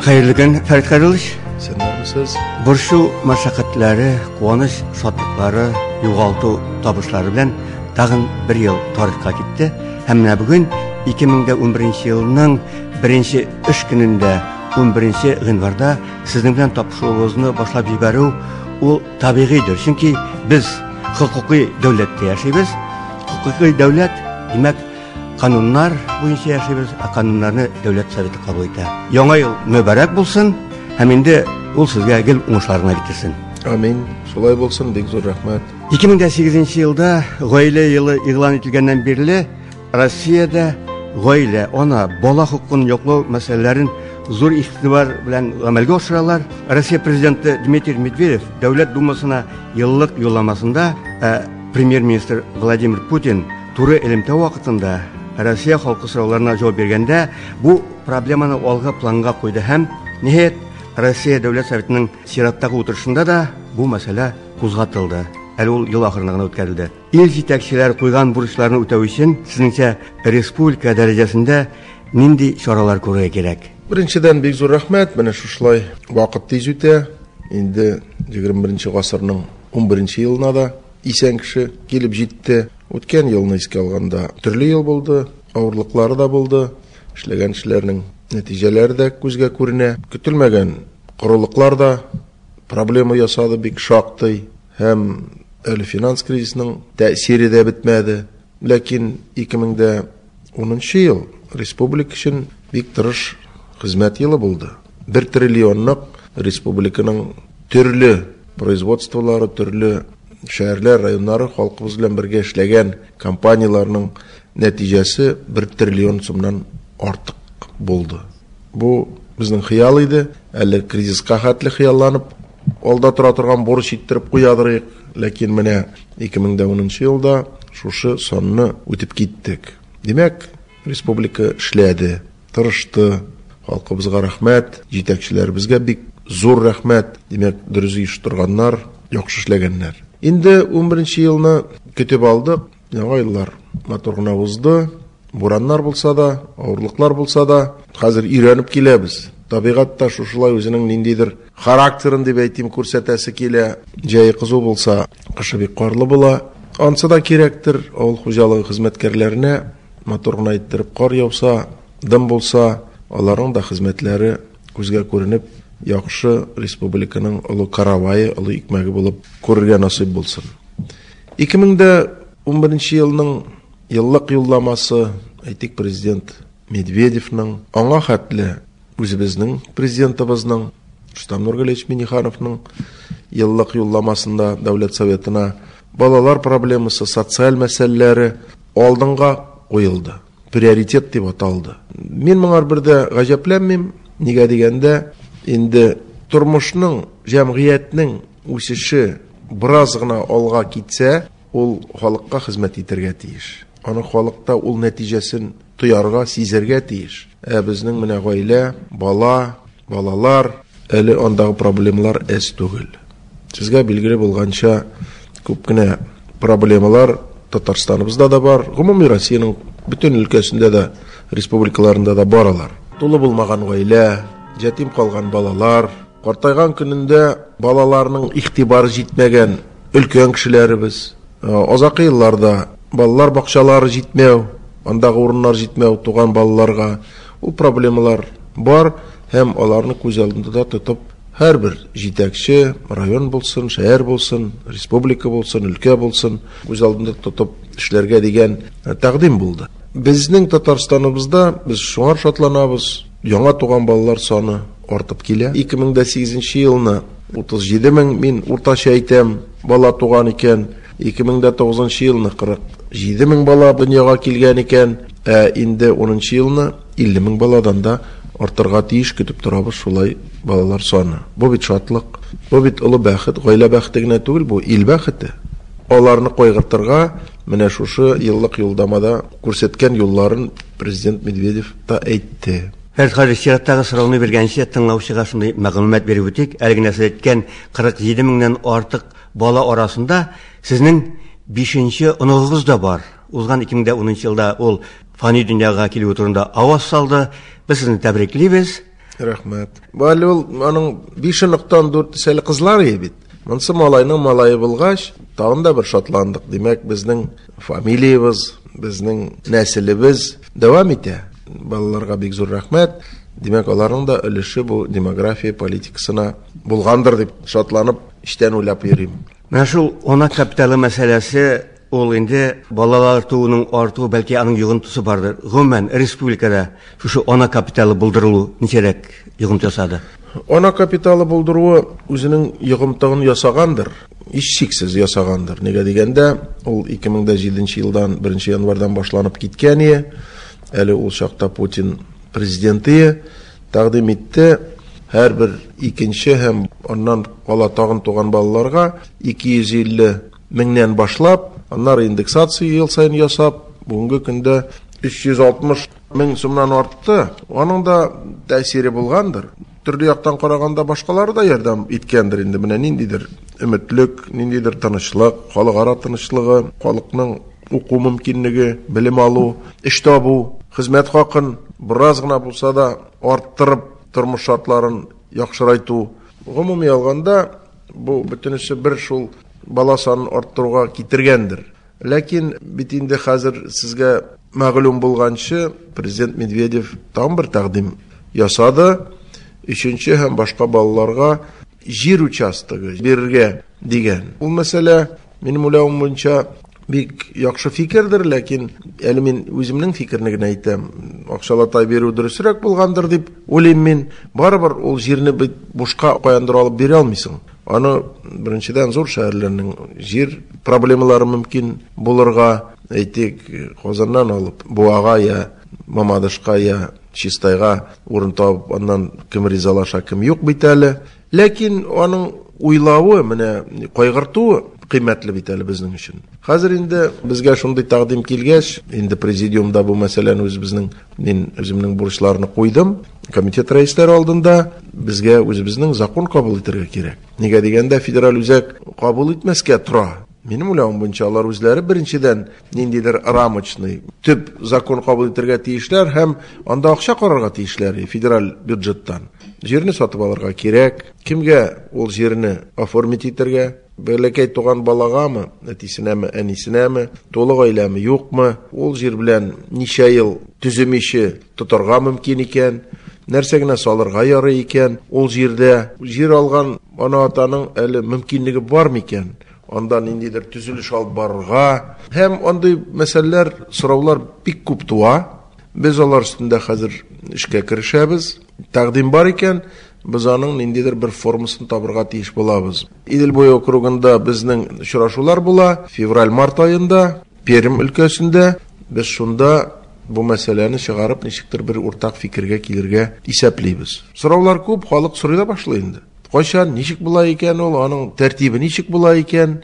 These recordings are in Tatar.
Хәерле көн, Фәрит Хәйруллович. Исәннәрмесез? Борчу мәшәкатьләре, куаныч шатлыклары, югалту табышлары белән тагын бер ел тарихка китте. Һәм менә бүген 2011 елның беренче эш көнендә 11 гыйнварда сезнең белән тапшыруыбызны башлап җибәрү ул табигыйдер. Чөнки без хокукый дәүләттә яшибез. Хокукый дәүләт, димәк, кануннар буенча яшибез, ә кануннарны Дәүләт Советы кабул итә. Яңа ел мөбарәк булсын һәм инде ул сезгә гел уңышлар гына китерсен. Амин. Шулай булсын, бик зур рәхмәт. 2008 елда гаилә елы игълан ителгәннән бирле Россиядә гаилә, ана, бала хокукын яклау мәсьәләләрен зур игътибар белән гамәлгә ашыралар. Россия президенты Дмитрий Медведев Дәүләт Думасына еллык юлламасында премьер-министр Владимир Путин туры элемтә вакытында Россия халкы сорауларына җавап биргәндә бу проблеманы алгы планга куйды һәм ниһаять Россия Дәүләт Советының чираттагы утырышында да бу мәсьәлә кузгатылды. Әле ул ел ахырында гына үткәрелде. Ил җитәкчеләре куйган бурычларны үтәү өчен, сезнеңчә, республика дәрәҗәсендә нинди чаралар күрергә кирәк? Беренчедән, бик зур рәхмәт. Менә шушылай вакыт тиз үтә. Инде 21 гасырның 11 елына да исән кеше килеп җитте. Үткән елны искә алганда төрле ел булды, авырлыклары да булды. Эшләгән эшләрнең нәтиҗәләре дә күзгә күренә. Көтелмәгән корылыклар да проблема ясады бик шактый. Һәм әле финанс кризисының тәэсире дә бетмәде. Ләкин 2010 ел республика өчен бик тырыш хезмәт елы булды. 1 триллионлык республиканың төрле производстволары, төрле шәһәрләр, районнары халкыбыз белән бергә эшләгән компанияләрнең нәтиҗәсе 1 триллион сумнан артык булды. Бу безнең хыял иде. Әле кризиска хәтле хыялланып алда тора торган бурыч иттереп куядырыйк. Ләкин менә 2010 елда шушы санны үтеп киттек. Димәк, республика эшләде, тырышты. Халкыбызга рәхмәт, җитәкчеләребезгә бик зур рәхмәт. Димәк, дөрес оештырганнар, яхшы эшләгәннәр. Инде 11 елны көтеп алдык. Яңа еллар матур гына узды. Бураннар булса да, авырлыклар булса да, хәзер өйрәнеп киләбез. Табигать та шушылай үзенең ниндидер характерын дип әйтим, күрсәтәсе килә. Җәе кызу булса, кышы бик карлы була. Ансы да кирәктер авыл хуҗалыгы хезмәткәрләренә. Матур гына иттереп кар яуса, дым булса, аларның да хезмәтләре күзгә күренеп, яхшы республиканың олы каравае, олы икмәге булып күрергә насыйп булсын. 2011 елның еллык юлламасы, әйтик, президент Медведевның, аңа хәтле үзебезнең президентыбызның Рөстәм Нургалиевич Миннихановның еллык юлламасында Дәүләт Советына балалар проблемасы, социаль мәсьәләләре алдынга куелды. Приоритет дип аталды. Мин моңар бер дә гаҗәпләнмим. Нигә дигәндә, инде тормышның, җәмгыятьнең үсеше бераз гына алга китсә, ул халыкка хезмәт итәргә тиеш. Аны халыкта ул нәтиҗәсен тоярга, сизәргә тиеш. Ә безнең менә гаилә, бала, балалар, әле андагы проблемалар әз түгел. Сезгә билгеле булганча, күп кенә проблемалар Татарстаныбызда да бар, гомуми Россиянең бөтен өлкәсендә дә, республикаларында да бар алар. Тулы булмаган гаилә, ятим калган балалар, картайган көнендә балаларның игътибары җитмәгән өлкән кешеләребез, азакы елларда балалар бакчалары җитмәү, андагы урыннар җитмәү туган балаларга, ул проблемалар бар һәм аларны күз алдында да тотып һәрбер җитәкче, район булсын, шәһәр булсын, республика булсын, өлкә булсын, күз алдында тотып эшләргә дигән тәкъдим булды. Безнең Татарстаныбызда без шуңар шатланабыз, яңа туган балалар саны артып килә. 2008 елны 37 мең, мин уртача әйтәм, бала туган икән. 2009 елны 47 мең бала дөньяга килгән икән. Ә инде 10 елны 50 мең баладан да артырга тиеш, көтеп торабыз шулай балалар саны. Бу бит шатлык, бу бит олы бәхет, гаилә бәхете генә түгел, бу ил бәхете. Аларны кайгыртырга менә шушы еллык юлдамада күрсәткән юлларын президент Медведев та әйтте. Фәрит хаҗи, чираттагы сорауны биргәнче тыңлаучыга шундый мәгълүмат биреп үтик. Әле генә сез әйткән 47 меңнән артык бала арасында сезнең 5нче оныгыгыз да бар. Узган 2010 елда ул фани дөньяга килүе турында аваз салды. Без сезне тәбриклибез. Рәхмәт. Бу әле ул аның 5 оныктан 4 әле кызлар ие бит. Монысы малайның малае булгач, тагын да бер шатландык. Димәк, безнең фамилиябез, безнең нәселебез дәвам итә. Балаларга бик зур рәхмәт. Димәк, аларның да өлеше бу демография политикасына булгандыр дип шатланып, эчтән уйлап йөрим. Менә шул ана капиталы мәсьәләсе ул инде балалар тууның артуы, бәлки аның йогынтысы бардыр. Гомумән, республикада шушы ана капиталы булдырылу ничәрәк йогынты ясады? Ана капиталы булдыруы үзенең йогынтыгын ясагандыр, һичшиксез ясагандыр. Нигә дигәндә, ул 2007 елдан 1 январьдан башланып киткән ие. Әле ул чакта Путин президенты тәкъдим итте һәрбер икенче һәм аннан кала тагын туган балаларга 250 меңнән башлап, аннары индексация ел саен ясап, бүгенге көндә 360 мең сумнан артты. Аның да тәэсире булгандыр. Төрле яктан караганда башкалары да ярдәм иткәндер инде. Менә ниндидер өметлек, ниндидер тынычлык, халыкара тынычлыгы, халыкның уку мөмкинлеге, белем алу, эш табу, хезмәт хакын бераз гына булса да арттырып, тормыш шартларын яхшырайту. Гомуми алганда, бу бөтенесе бер шул бала санын арттыруга китергәндер. Ләкин бит инде хәзер сезгә мәгълүм булганчы, президент Медведев тагын бер тәкъдим ясады. Өченче һәм башка балаларга җир участогы бирергә дигән. Ул мәсьәлә, минем уйлавым буенча, бик яхшы фикердер, ләкин әле мин үземнең фикерне генә әйтәм. Акчалата бирү дөресрәк булгандыр дип уйлыйм мин. Барыбер ул җирне бит бушка каяндыр алып бирә алмыйсың. Аны беренчедән зур шәһәрләрнең җир проблемалары мөмкин булырга, әйтик, Казаннан алып Буага я Мамадышка я Чистайга урын табып, аннан кем ризалаша, кем юк бит әле. Ләкин аның уйлавы, менә кайгыртуы кыйммәтле бит әле безнең өчен. Хәзер инде безгә шундый тәкъдим килгәч, инде президиумда бу мәсьәләне үзебезнең, мин үземнең бурычларны куйдым. Комитет рәисләре алдында безгә үзебезнең закон кабул итәргә кирәк. Нигә дигәндә, федераль үзәк кабул итмәскә тора. Минем уйлавым буенча, алар үзләре беренчедән ниндидер рамочный төп закон кабул итәргә тиешләр һәм анда акча карарга тиешләр федераль бюджеттан. Җирне сатып алырга кирәк. Кемгә ул җирне оформить итәргә? Бәләкәй туган балагамы, әтисенәме, әнисенәме, тулы гаиләме, юкмы? Ул җир белән ничә ел төземиче тотарга мөмкин икән? Нәрсә генә салырга ярый икән? Ул җирдә җир алган ана-атаның әле мөмкинлеге бар микән? Анда ниндидер төзелеш алып барырга. Һәм андый мәсьәләләр, сораулар бик күп туа. Без алар өстендә хәзер эшкә керешәбез. Тәкъдим бар икән, без аның ниндидер бер формасын табырга тиеш булабыз. Идел буе округында безнең очрашулар була. Февраль-март аенда Пермь өлкәсендә без шунда бу мәсьәләне чыгарып, ничектер бер уртак фикергә килергә исәплибез. Сораулар күп, халык сорый да башлый инде. Кайчан, ничек була икән ул, аның тәртибе ничек була икән,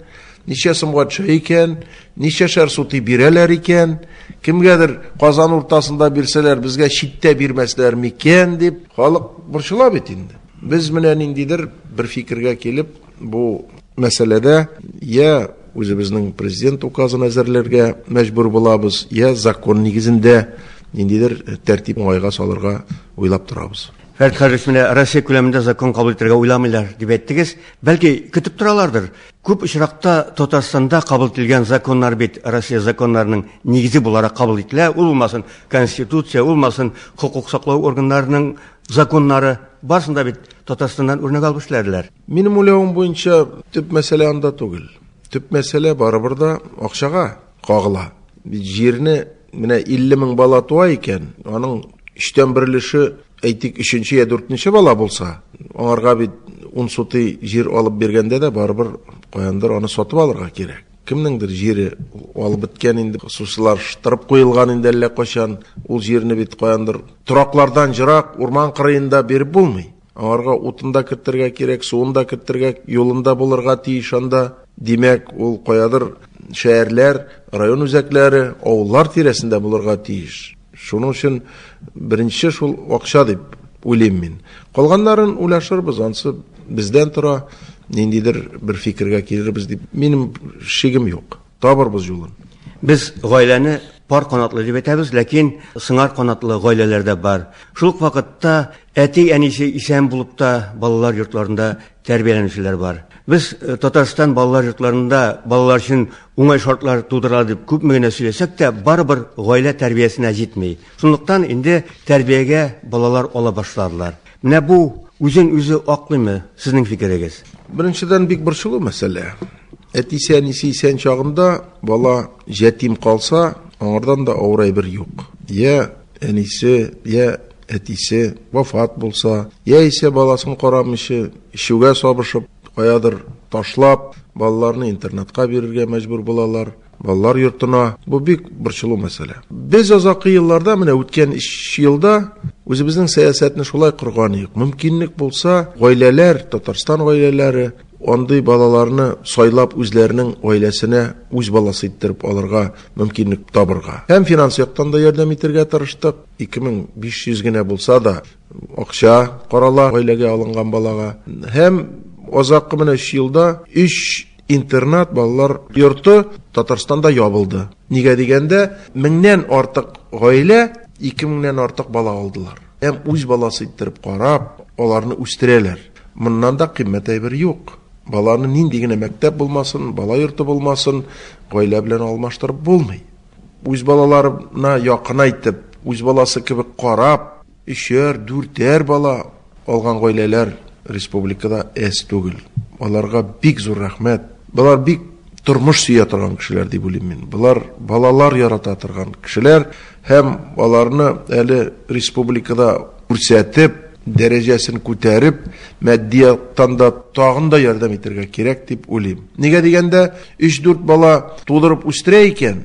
ничә сумга төшә икән, ничәшәр сутый бирәләр икән, кемгәдер Казан уртасында бирсәләр, безгә читтә бирмәсләр микән дип халык борчыла бит инде. Без менә ниндидер бер фикергә килеп, бу мәсьәләдә я үзебезнең президент указын әзерләргә мәҗбүр булабыз, я закон нигезендә ниндидер тәртип уңайга салырга уйлап торабыз. Фәрит Хаҗиевич, менә Россия күләмендә закон кабул итәргә уйламыйлар дип әйттегез. Бәлки көтеп торалардыр. Күп очракта Татарстанда кабул ителгән законнар бит Россия законнарының нигезе буларак кабул ителә. Ул булмасын Конституция, ул булмасын хокук саклау органнарының законнары, барысын да бит Татарстаннан үрнәк алып эшләделәр. Минем уйлавым буенча, төп мәсьәлә анда түгел. Төп мәсьәлә барыбер да акчага кагыла. Бит җирне менә 50 мең бала туа икән, аның өчтән бер өлеше, әйтик, өченче я дүртенче бала булса, аңарга бит 10 сутый җир алып биргәндә дә барыбер каяндыр аны сатып алырга кирәк. Кемнеңдер җире алып беткән инде, хосусилаштырып куелган инде әллә кайчан. Ул җирне бит каяндыр тораклардан ерак, урман кырыенда биреп булмый. Аңарга утын да кертергә кирәк, суын да кертергә, юлын да булырга тиеш анда. Димәк, ул каядыр шәһәрләр, район үзәкләре, авыллар тирәсендә булырга тиеш. Шуның өчен беренче шул акча дип уйлыйм мин. Калганнарын уйлашырбыз, ансы бездән тора, ниндидер бер фикергә килербез дип минем шигем юк. Табырбыз юлын. Без гаиләне пар канатлы дип әйтәбез, ләкин сыңар канатлы гаиләләр дә бар. Шул ук вакытта әти-әнисе исән булып та балалар йортларында тәрбияләнүчеләр бар. Без э, Татарстан балалар йортларында балалар өчен уңай шартлар тудыра дип күпме генә сөйләсәк тә, барыбер гаилә тәрбиясенә җитми. Шунлыктан инде тәрбиягә балалар ала башладылар. Менә бу үзен үзе аклыймы, сезнең фикерегез? Беренчедән, бик борчулы мәсьәлә. Әтисе, әнисе исән чагында бала җәтим калса, аңардан да авыр әйбер юк. Я әнисе, я әтисе вафат булса, яисә баласын карамыйча, эчүгә сабышып, каядыр ташлап, балаларны интернатка бирергә мәҗбүр булалар, балалар йортына. Бу бик борчулы мәсьәлә. Без азакы елларда, менә үткән 3 елда үзебезнең сәясәтне шулай корган идек. Мөмкинлек булса, гаиләләр, Татарстан гаиләләре андый балаларны сайлап үзләренең гаиләсенә үз баласы иттереп алырга мөмкинлек табырга. Һәм финанс яктан да ярдәм итәргә тырыштык. 2500 генә булса да акча карала гаиләгә алынган балага. Һәм азаккы менә 3 елда 3 интернат балалар йорты Татарстанда ябылды. Нигә дигәндә, меңнән артык гаилә 2000-нән артык бала алдылар. Һәм үз баласы иттереп карап, аларны үстерәләр. Моннан да кыйммәт әйбер юк. Баланы нинди генә мәктәп булмасын, бала йорты булмасын, гаилә белән алмаштырып булмый. Үз балаларына якынайтып, үз баласы кебек карап, өчәр, дүртәр бала алган гаиләләр республикада әз түгел. Аларга бик зур рәхмәт. Болар бик тормыш сөя торган кешеләр дип уйлыйм мин. Болар балалар ярата торган кешеләр һәм аларны әле республикада күрсәтеп, дәрәҗәсен күтәреп, матди яктан да тагын да ярдәм итәргә кирәк дип уйлыйм. Нигә дигәндә, 3-4 бала тудырып үстерә икән,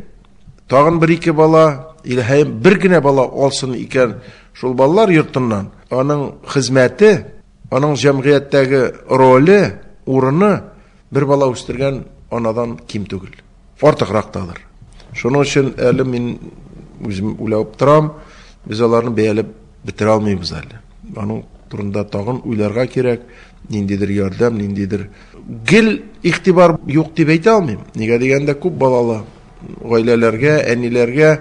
тагын бер-ике бала или һәм бер генә бала алсын икән шул балалар йортыннан, аның хезмәте, аның җәмгыятьтәге роле, урыны бер бала үстергән анадан ким түгел. Артыграк тадыр. Шуның өчен әле мин үзем уйлап торам, без аларны бәяләп бетерә алмыйбыз әле. Аның турында тагын уйларга кирәк, ниндидер ярдәм, ниндидер гел игътибар юк дип әйтә алмыйм. Нигә дигәндә, күп балалы гаиләләргә, әниләргә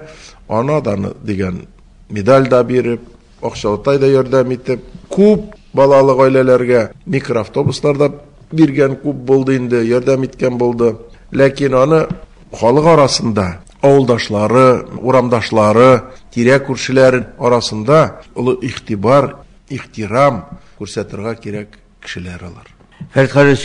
ана даны дигән медаль да биреп, акчалатай да ярдәм итеп, күп балалы гаиләләргә микроавтобуслар да биргән күп булды инде, ярдәм иткән булды. Ләкин аны халык арасында, авылдашлары, урамдашлары, тирә күршеләр арасында олы игътибар, ихтирам күрсәтергә кирәк кешеләр алар. Фәрит Харис,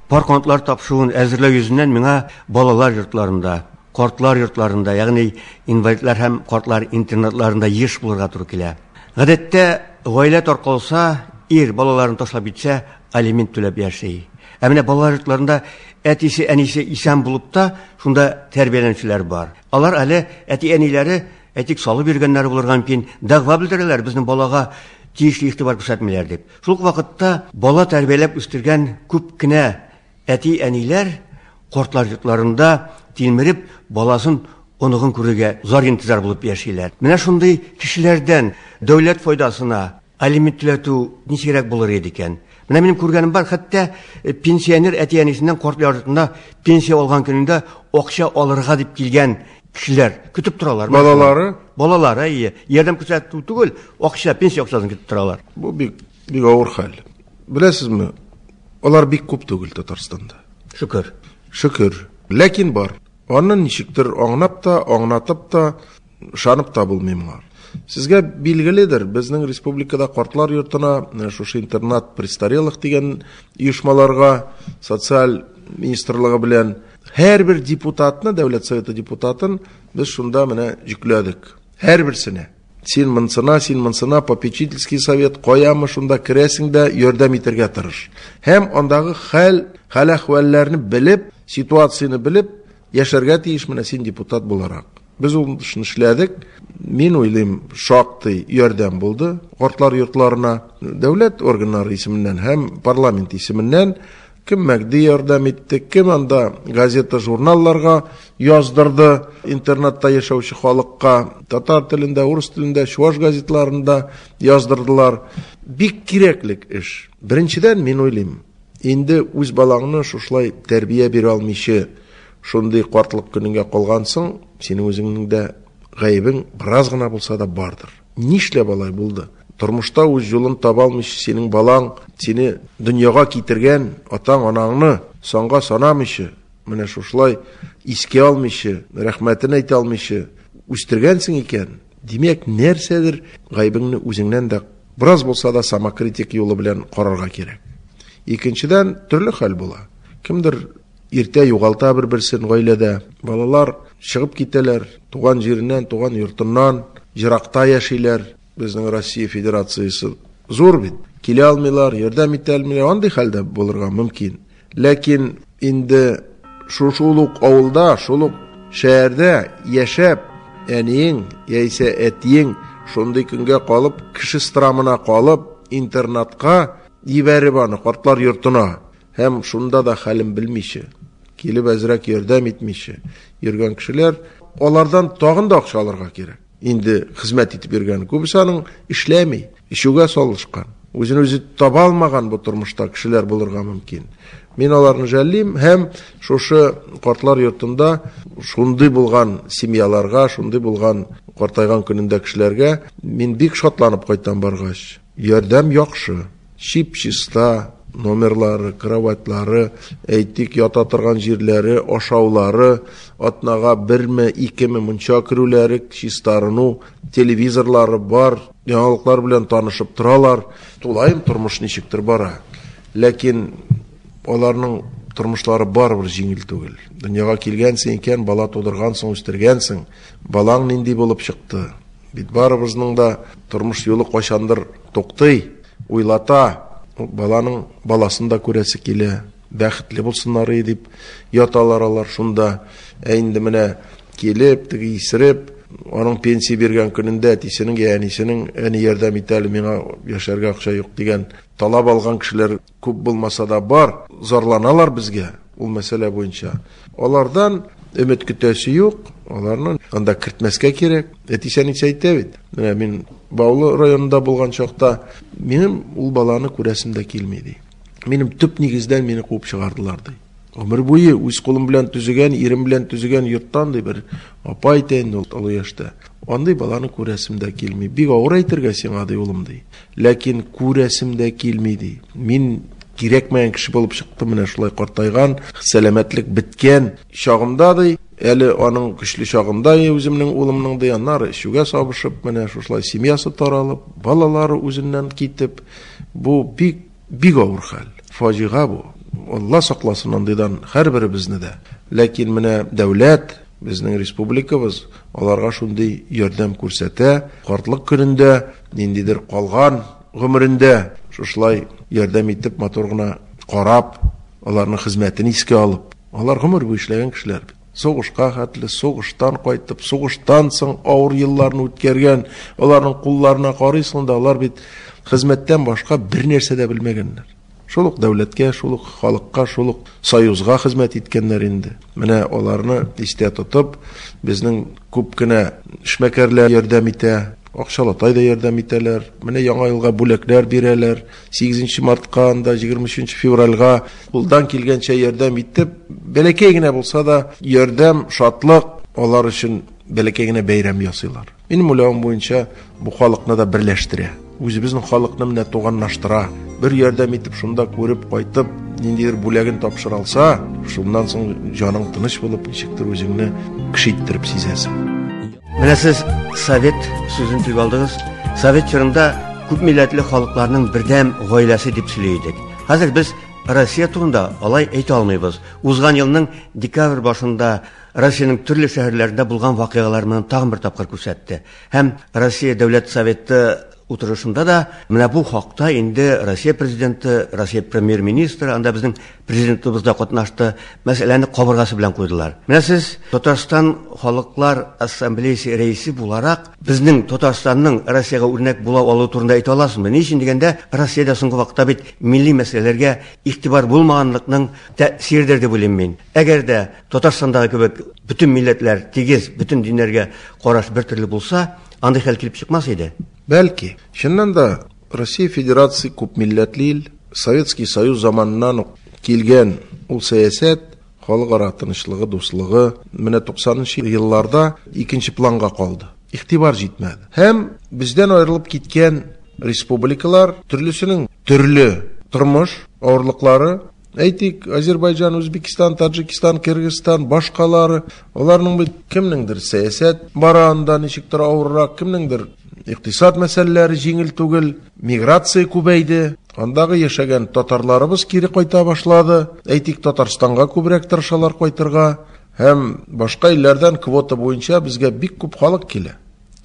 пар канатлар тапшыруын әзерләү йөзеннән миңа балалар йортларында, картлар йортларында, ягъни инвалидлар һәм картлар интернатларында еш булырга туры килә. Гадәттә, гаилә таркалса, ир балаларын ташлап китсә, алимент түләп яши. Ә менә балалар йортларында әтисе, әнисе исән булып та, шунда тәрбияләнүчеләр бар. Алар әле әти-әниләре, әйтик, салып йөргәннәре булырга мөмкин, дәгъва белдерәләр, безнең балага тиешле игътибар күрсәтмиләр дип. Шул ук вакытта бала тәрбияләп үстергән күп кенә әти-әниләр картлар йортларында тилмереп баласын, оныгын күрергә зар интизар булып яшиләр. Менә шундый кешеләрдән дәүләт файдасына алимент түләтү ничегрәк булыр иде икән? Менә минем күргәнем бар, хәтта пенсионер әти-әнисеннән карт йортында пенсия алган көнендә акча алырга дип килгән кешеләр көтеп торалар. Балалары? Балалары, әйе. Ярдәм күрсәтү түгел, акча, пенсия акчасын көтеп торалар. Бу бик, бик авыр хәл. Беләсезме, алар бик күп түгел Татарстанда. Шөкер. Шөкер. Ләкин бар. Аны ничектер аңлап та, аңлатып та, ышанып та булмый моңа. Сезгә билгеледер, безнең республикада картлар йортына, шушы интернат престарелых дигән оешмаларга социаль министрлыгы белән һәрбер депутатны, Дәүләт Советы депутатын без шунда менә йөкләдек. Һәрберсенә. Син монсына, син монсына, попечительский совет каямы, шунда керәсең дә ярдәм итәргә тырыш. Һәм андагы хәл, хәл-әхвәлләрне белеп, ситуацияне белеп яшәргә тиеш менә син депутат буларак. Без ул эшне эшләдек. Мин уйлыйм, шактый ярдәм булды картлар йортларына. Дәүләт органнары исеменнән һәм парламент исеменнән кем мәгди ярдәм итте, кем анда газета, журналларга яздырды, интернатта яшәүче халыкка татар телендә, урыс телендә, чуаш газетларында яздырдылар. Бик кирәклек эш. Беренчедән, мин уйлыйм, инде үз балаңны шушылай тәрбия бирә алмыйча, шундый картлык көнеңә калгансың, синең үзеңнең дә гаебең бераз гына булса да бардыр. Нишләп алай булды? Тормышта үз юлын таба алмыйча синең балаң сине дөньяга китергән атаң, анаңны санга санамыйча, менә шушылай искә алмыйча, рәхмәтен әйтә алмыйча үстергәнсең икән, димәк, нәрсәдер гаебеңне үзеңнән дә бераз булса да самокритик юлы белән карарга кирәк. Икенчедән, төрле хәл була. Кемдер иртә югалта бер-берсен гаиләдә. Балалар чыгып китәләр, туган җиреннән, туган йортыннан, еракта яшиләр. Безнең Россия Федерациясе зур бит. Килә алмыйлар, ярдәм итә алмыйлар. Андый хәлдә булырга мөмкин. Ләкин инде шул ук авылда, шул ук шәһәрдә яшәп, әниең яисә әтиең шундый көнгә калып, кеше страмына калып, интернатка җибәреп аны картлар йортына һәм шунда да хәлен белмичә, килеп әзрәк ярдәм итмичә йөргән кешеләр, алардан тагын да акча алырга кирәк. Инде хезмәт итеп йөргән күбесе аның эшләми, эчүгә салышкан, үзен үзе таба алмаган бу тормышта кешеләр булырга мөмкин. Мин аларны жәллим һәм шушы картлар йортында шундый булган семьяларга, шундый булган картайган көнендә кешеләргә мин бик шатланып кайтам баргач. Ярдәм яхшы, чип-чиста номерлары, кроватьлары, әйтик, ята торган җирләре, ашаулары, атнага берме, икеме мунча керүләре, чистарыну, телевизорлары бар, яңалыклар белән танышып торалар. Тулаем тормыш ничектер бара. Ләкин аларның тормышлары барыбер җиңел түгел. Дөньяга килгәнсең икән, бала тудыргансың, үстергәнсең, балаң нинди булып чыкты? Бит барыбызның да тормыш юлы кайчандыр туктый, уйлата. Баланың баласын да күрәсе килә, бәхетле булсыннар дип яталар алар шунда. Ә инде менә килеп, теге исереп, аның пенсия биргән көнендә әтисенең я әнисенең әни ярдәм итә әле, миңа яшәргә акча юк дигән талап алган кешеләр күп булмаса да бар, зарланалар безгә ул мәсьәлә буенча. Алардан өмет көтәсе юк, аларны анда кертмәскә кирәк. Әтисе әнисе әйтә бит. Менә мин Баулы районында булган чакта минем ул баланы күрәсем дә килми ди. Минем төп нигездән мине куып чыгардылар ди. Гомер буе үз кулым белән төзегән, ирем белән төзегән йорттан ди бер апа әйтә инде ул олы яшьтә. Андый баланы күрәсем дә килми. Бик авыр әйтергә сиңа ди улым ди. Ләкин күрәсем дә килми ди. Мин кирәкмәгән кеше булып чыктым, менә шулай картайган, сәламәтлек беткән чагымда ди, әле аның көчле чагында үземнең улымның ди, аннары эчүгә сабышып, менә шушылай семьясы таралып, балалары үзеннән китеп, бу бик бик авыр хәл. Фаҗига бу. Алла сакласын андыйдан һәрберебезне дә. Ләкин менә дәүләт, безнең республикабыз аларга шундый ярдәм күрсәтә. Картлык көнендә, ниндидер калган гомерендә шушылай ярдәм итеп, матур гына карап, аларның хезмәтен искә алып. Алар гомер буе эшләгән кешеләр бит. Сугышка хәтле, сугыштан кайтып, сугыштан соң авыр елларны үткәргән, аларның кулларына карыйсың да, алар бит хезмәттән башка бер нәрсә дә белмәгәннәр. Шул ук дәүләткә, шул ук халыкка, шул ук союзга хезмәт иткәннәр инде. Менә аларны истә тотып, безнең күп кенә эшмәкәрләр ярдәм итә, акчалатай да ярдәм итәләр. Менә яңа елга бүләкләр бирәләр. 8 мартка, анда 23 февральга кулдан килгәнчә ярдәм итеп, бәләкәй генә булса да ярдәм, шатлык алар өчен бәләкәй генә бәйрәм ясыйлар. Минем уйлавым буенча, бу халыкны да берләштерә. Үзебезнең халыкны менә туганлаштыра. Бер ярдәм итеп шунда күреп кайтып, ниндидер бүләген тапшыра алса, шуннан соң җаның тыныч булып, ничектер үзеңне кеше иттереп сизәсең. Менә сез совет сүзен телгә алдыгыз. Совет чорында күп милләтле халыкларның бердәм гаиләсе дип сөйли идек. Хәзер без Россия турында алай әйтә алмыйбыз. Узган елның декабрь башында Россиянең төрле шәһәрләрендә булган вакыйгалар моны тагын бер тапкыр күрсәтте. Һәм Россия Дәүләт Советы утырышында да менә бу хакта инде Россия президенты, Россия премьер-министры, анда безнең президентыбыз да катнашты, мәсьәләне кабыргасы белән куйдылар. Менә сез Татарстан Халыклар Ассамблеясы рәисе буларак безнең Татарстанның Россиягә үрнәк була алуы турында әйтә аласызмы? Ни өчен дигәндә, Россиядә соңгы вакытта бит милли мәсьәләләргә игътибар булмаганлыкның тәэсиридер дип уйлыйм мин. Әгәр дә Татарстандагы кебек бөтен милләтләр тигез, бөтен диннәргә караш бер төрле булса, андый хәл килеп чыкмас иде. Бәлки, чыннан да Россия Федерация күп милләтле ил, Советский Союз заманыннан ук килгән ул сәясәт, Халыкара тынычлыгы, дуслыгы менә 90 елларда икенче планга калды. Игътибар җитмәде. Һәм бездән аерылып киткән республикалар төрлесенең төрле тормыш авырлыклары. Әйтик, Азербайҗан, Үзбекстан, Таджикистан, Кыргызстан, башкалары, аларның бит кемнеңдер сәясәт бара анда ничектер авыррак, кемнеңдер икътисад мәсьәләләре җиңел түгел, миграция күбәйде. Андагы яшәгән татарларыбыз кире кайта башлады. Әйтик, Татарстанга күбрәк тырышалар кайтырга. Һәм башка илләрдән квота буенча безгә бик күп халык килә.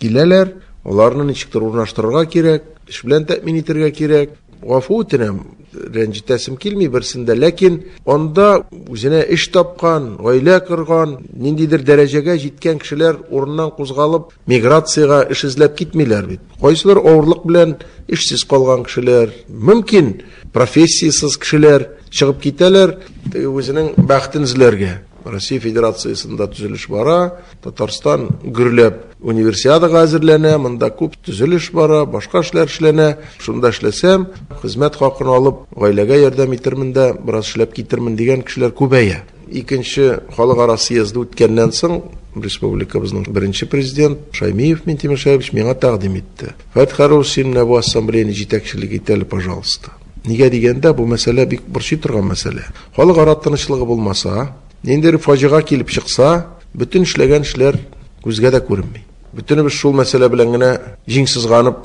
Киләләр, аларны ничектер урнаштырырга кирәк, эш белән тәэмин итәргә кирәк. Гафу үтенәм, рәнҗетәсем килми берсендә, ләкин анда үзенә эш тапкан, гаилә корган, ниндидер дәрәҗәгә җиткән кешеләр урыннан кузгалып, миграциягә эш эзләп китмиләр бит. Кайсылар авырлык белән эшсез калган кешеләр, мөмкин профессиясез кешеләр чыгып китәләр, үзенең бәхетен эзләргә. Россия Федерациясендә төзелеш бара, Татарстан гөрләп универсиадага әзерләнә, монда күп төзелеш бара, башка эшләр эшләнә. Шунда эшләсәм, хезмәт хакын алып, гаиләгә ярдәм итермен дә, бераз эшләп китермен дигән кешеләр күбәя. Икенче халыкара съезды үткәннән соң республикабызның беренче президент Шаймиев Минтимер Шәһипович миңа тәкъдим итте. Фәрит Хәйруллович, син менә бу ассамблеяны җитәкчелек ит әле, пожалуйста. Нигә дигәндә, бу мәсьәлә бик борчый торган мәсьәлә. Халыкара тынычлыгы булмаса, ниндидер фаҗига килеп чыкса, бөтен эшләгән эшләр күзгә дә күренми. Бөтенебез шул мәсьәлә белән генә җиң сызганып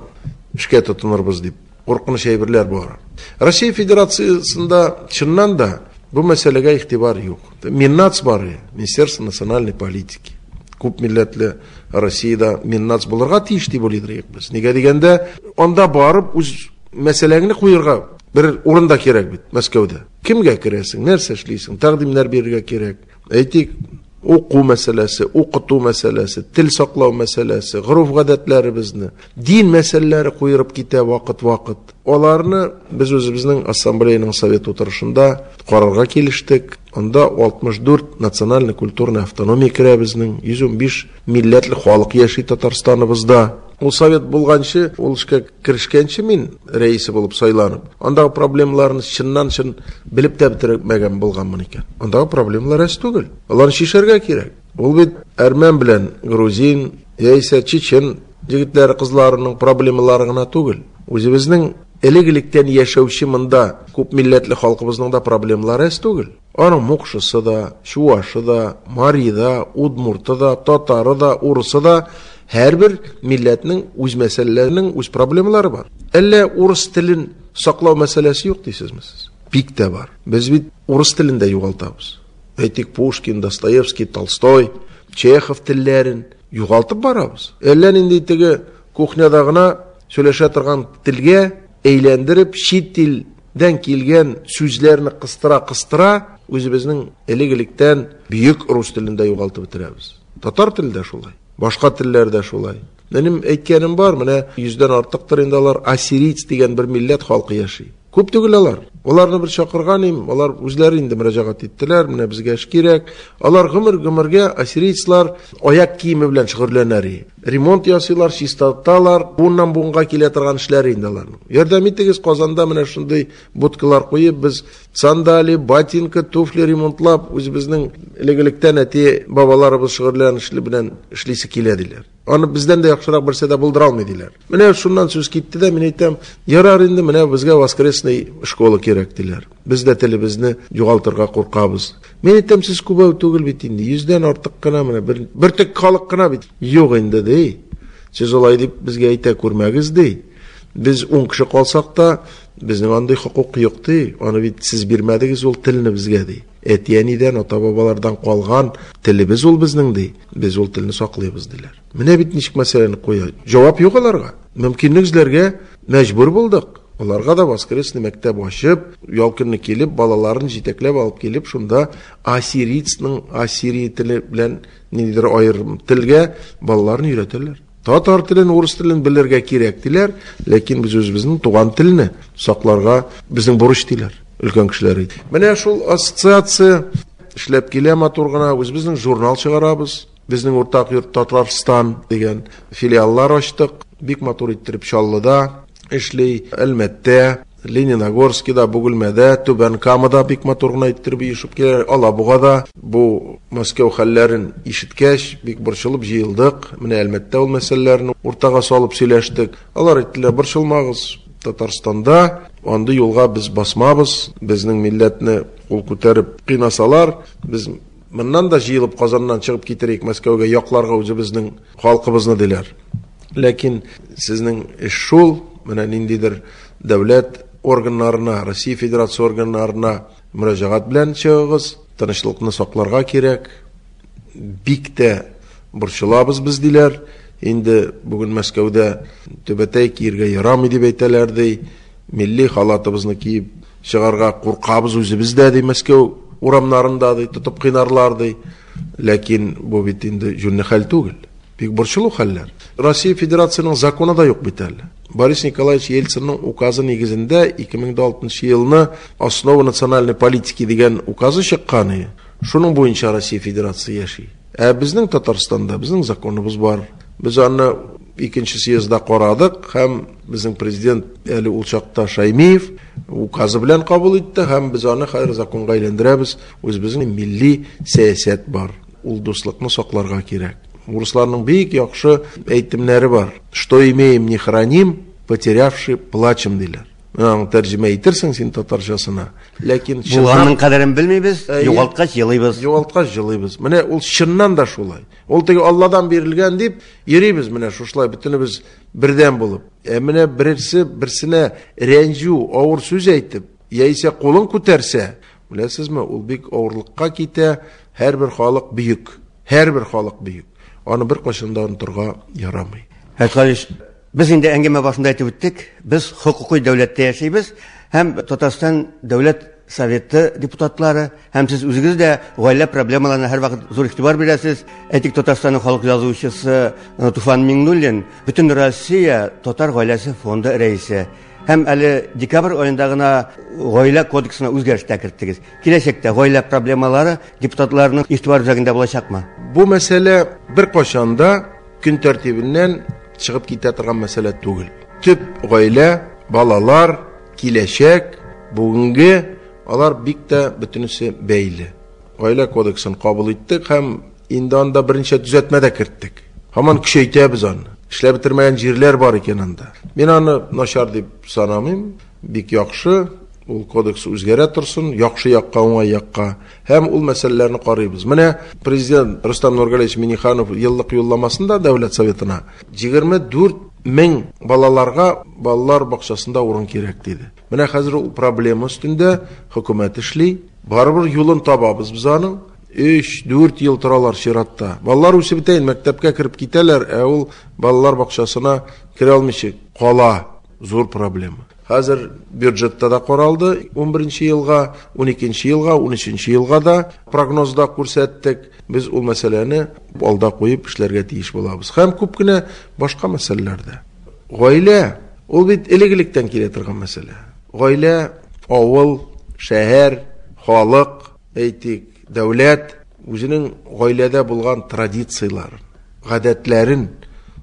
эшкә тотынырбыз дип куркыныч әйберләр бар. Россия Федерациясендә чыннан да бу мәсьәләгә игътибар юк. Миннац бар, Министерство национальной политики. Күп милләтле Россиядә Миннац булырга тиеш дип уйлыйдыр без. Нигә дигәндә, анда барып үз мәсьәләңне куерга бер урында кирәк бит Мәскәүдә. Кемгә керәсең, нәрсә эшлисең, тәкъдимнәр бирергә кирәк. Әйтик, уку мәсьәләсе, укыту мәсьәләсе, тел саклау мәсьәләсе, гореф-гадәтләребезне, дин мәсьәләләре куерып китә вакыт-вакыт. Аларны без үзебезнең ассамблеяның совет утырышында карарга килештек. Анда 64 национальный культурный автономия керә безнең, 115 милләтле халык яши Татарстаныбызда. Ул совет булганчы, ул эшкә керешкәнче мин рәисе булып сайланып, андагы проблемаларны чыннан-чын белеп тә бетермәгән булганмын икән. Андагы проблемалар әз түгел. Аларны чишәргә кирәк. Ул бит әрмән белән грузин, яисә чечен егетләре, кызларының проблемалары гына түгел. Үзебезнең элек-электән яшәүче монда күп милләтле халкыбызның да проблемалары әз түгел. Аның мукшысы да, чуашы да, мари да, удмурты да, татары да, урысы да, һәрбер милләтнең үз мәсьәләләренең үз проблемалары бар. Әллә урыс телен саклау мәсьәләсе юк дисезме сез? Бик тә бар. Без бит урыс телен дә югалтабыз. Әйтик, Пушкин, Достоевский, Толстой, Чехов телләрен югалтып барабыз. Әллә нинди теге кухняда гына сөйләшә торган телгә әйләндереп, чит илдән килгән сүзләрне кыстыра-кыстыра, үзебезнең элек-электән бөек рус телен дә югалтып бетерәбез. Татар теле дә шулай, башка телләр дә шулай. Минем әйткәнем бар, менә 100дән артыктыр инде алар ассирийц дигән бер милләт халкы яши. Күп түгел алар. Аларны бер чакырган им, алар үзләре инде мөрәҗәгать иттеләр, менә безгә эш кирәк. Алар гомер-гомергә ассирийцлар аяк киеме белән шөгыльләнәр. Ремонт ясыйлар, чистарталар, буыннан буынга килә торган эшләр инде аларның. Ярдәм итегез, Казанда менә шундый будкалар куеп, без сандали, ботинка, туфли ремонтлап, үзебезнең элек-электән әти бабаларыбыз шөгыльләнешле белән эшлисе килә диләр. Аны бездән дә яхшырак берсе дә булдыра алмый диләр. Менә шуннан сүз китте дә, мин әйтәм, ярар инде, менә безгә воскресный школа кирәк диләр. Без дә телебезне югалтырга куркабыз. Мин әйтәм, сез күбәү түгел бит инде, 100дән артык кына менә бер төк халык кына бит. Юк инде ди. Сез алай дип безгә әйтә күрмәгез ди. Без 10 кеше калсак та, безнең андый хокук юк ди. Аны бит сез бирмәдегез ул телне безгә ди. Әти-әнидән, ата-бабалардан калган телебез ул безнең ди. Без ул телне саклыйбыз диләр. Менә бит ничек мәсьәләне куя. Җавап юк аларга. Мөмкинлек эзләргә мәҗбүр булдык. Аларга да воскресный мәктәп ачып, ял көнне килеп, балаларын җитәкләп алып килеп, шунда ассирийцның ассирий теле белән ниндидер аерым телгә балаларын өйрәтәләр. Татар телен, урыс телен белергә кирәк диләр, ләкин без үзебезнең туган телне сакларга безнең бурыч диләр өлкән кешеләр. Менә шул ассоциация эшләп килә матур гына, үзебезнең журнал чыгарабыз. Безнең уртак йорт Татарстан дигән филиаллар ачтык. Бик матур иттереп Чаллыда эшли, Әлмәттә. Лениногорскида, Бөгелмәдә, Түбән Камада бик матур гына иттереп оешып киләләр. Алабугада бу Мәскәү хәлләрен ишеткәч, бик борчылып җыелдык. Менә Әлмәттә ул мәсьәләләрне уртага салып сөйләштек. Алар әйттеләр, борчылмагыз, Татарстанда андый юлга без басмабыз, безнең милләтне кул күтәреп кыйнасалар, без моннан да җыелып Казаннан чыгып китерик Мәскәүгә, якларга үзебезнең халкыбызны, диләр. Ләкин сезнең эш шул, менә ниндидер дәүләт органнарына, Россия Федерация органнарына мөрәҗәгать белән чыгыгыз, тынычлыкны сакларга кирәк. Бик тә борчылабыз без, диләр. Инде бүген Мәскәүдә түбәтәй киергә ярамый дип әйтәләр, ди. Милли халатыбызны киеп чыгарга куркабыз үзебез дә, ди, Мәскәү урамнарында, ди, тотып кыйнарлар, ди. Ләкин бу бит инде җүнле хәл түгел. Бик борчылу хәлләр. Россия Федерациясенең законы да юк бит әле. Борис Николаевич Ельцинның указы нигезендә 2006 елны Основа национальной политики дигән указы чыккан иде. Шуның буенча Россия Федерациясе яши. Ә безнең Татарстанда безнең законыбыз бар. Без аны икенче съездда карадык һәм безнең президент әле ул чакта Шаймиев указы белән кабул итте һәм без аны хәзер законга әйләндерәбез. Үзебезнең милли сәясәт бар. Ул дуслыкны сакларга кирәк. Урысларның бик яхшы әйтемнәре бар. Что имеем, не храним, потерявши плачем, диләр. Менә аны тәрҗемә итерсең син татарчасына. Ләкин булганның кадерен белмибез, югалткач елыйбыз. Югалткач елыйбыз. Менә ул чыннан да шулай. Ул теге Алладан бирелгән дип йөрибез менә шушылай бөтенебез бердәм булып. Ә менә берсе берсенә рәнҗү, авыр сүз әйтеп, яисә кулын күтәрсә, беләсезме, ул бик авырлыкка китә. Һәрбер халык бөек. Һәрбер халык бөек. Аны беркайчан да онытырга ярамый. Хәлиш, без инде әңгәмә башында әйтеп үттек, без хокукый дәүләттә яшибез һәм Татарстан Дәүләт Советы депутатлары һәм сез үзегез дә гаилә проблемаларына һәрвакыт зур игътибар бирәсез. Әйтик, Татарстанның халык язучысы Туфан Миңнуллин Бөтен Россия татар гаиләсе фонды рәисе. Һәм әле декабрь аенда гына гаилә кодексына үзгәреш тә керттегез. Киләчәктә гаилә проблемалары депутатларның игътибар үзәгендә булачакмы? Бу мәсьәлә беркайчан да көн тәртибеннән чыгып китә торган мәсьәлә түгел. Төп гаилә, балалар, киләчәк, бүгенге, алар бик тә бөтенесе бәйле. Гаилә кодексын кабул иттек һәм инде анда берничә төзәтмә дә керттек. Һаман көчәйтәбез аны. Эшләп бетермәгән җирләр бар икән анда. Мин аны начар дип санамыйм, бик яхшы. Ул кодекс үзгәрә торсын, яхшы якка, уңай якка. Һәм ул мәсьәләләрне карыйбыз. Менә президент Рөстәм Нургалиевич Минниханов еллык юлламасында Дәүләт Советына 24 мең балаларга балалар бакчасында урын кирәк диде. Менә хәзер ул проблема өстендә хөкүмәт эшли. Барыбер юлын табабыз без аның. 3-4 ел торалар чиратта. Балалар үсеп бетә инде, мәктәпкә кереп китәләр, ә ул балалар бакчасына керә алмыйча кала. Зур проблема. Хәзер бюджетта да каралды, 11 елга, 12 елга, 13 елга да прогнозда күрсәттек. Без ул мәсьәләне алда куеп эшләргә тиеш булабыз. Һәм күп кенә башка мәсьәләләрдә. Гаилә, ул бит элек-электән килә торган мәсьәлә. Гаилә, авыл, шәһәр, халык, әйтик, дәүләт үзенең гаиләдә булган традицияләрен, гадәтләрен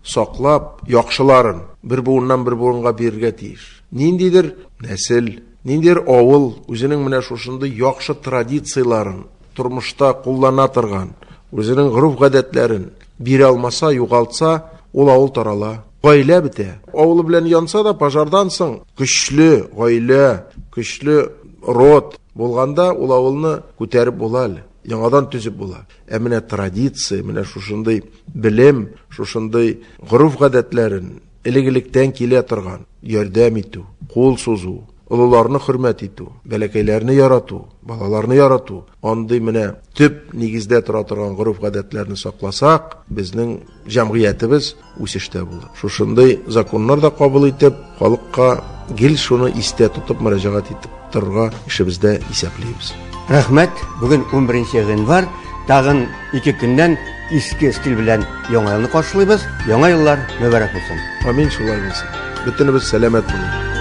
саклап, яхшыларын бер буыннан бер буынга бирергә тиеш. Ниндидер нәсел, ниндидер авыл үзенең менә шушындый яхшы традицияләрен тормышта куллана торган, үзенең гореф-гадәтләрен бирә алмаса, югалтса, ул авыл тарала. Гаилә бетә. Авылы белән янса да, пожардан соң көчле гаилә, көчле род булганда ул авылны күтәреп була әле, яңадан төзеп була. Ә менә традиция, менә шушындый белем, шушындый гореф-гадәтләрен элек-электән килә торган ярдәм итү, кул сузу, олыларны хөрмәт итү, бәләкәйләрне ярату, балаларны ярату, андый менә төп нигездә тора торган гореф-гадәтләрне сакласак, безнең җәмгыятебез үсештә булыр. Шушындый законнар да кабул итеп, халыкка гел шуны истә тотып мөрәҗәгать итеп торырга эшебездә исәплибез. Рәхмәт. Бүген 11 гыйнвар. Тагын 2 көннән иске стиль белән Яңа елны каршылыйбыз. Яңа еллар мөбарәк булсын. Амин, шулай булсын. Бөтенебез сәламәт булыйк.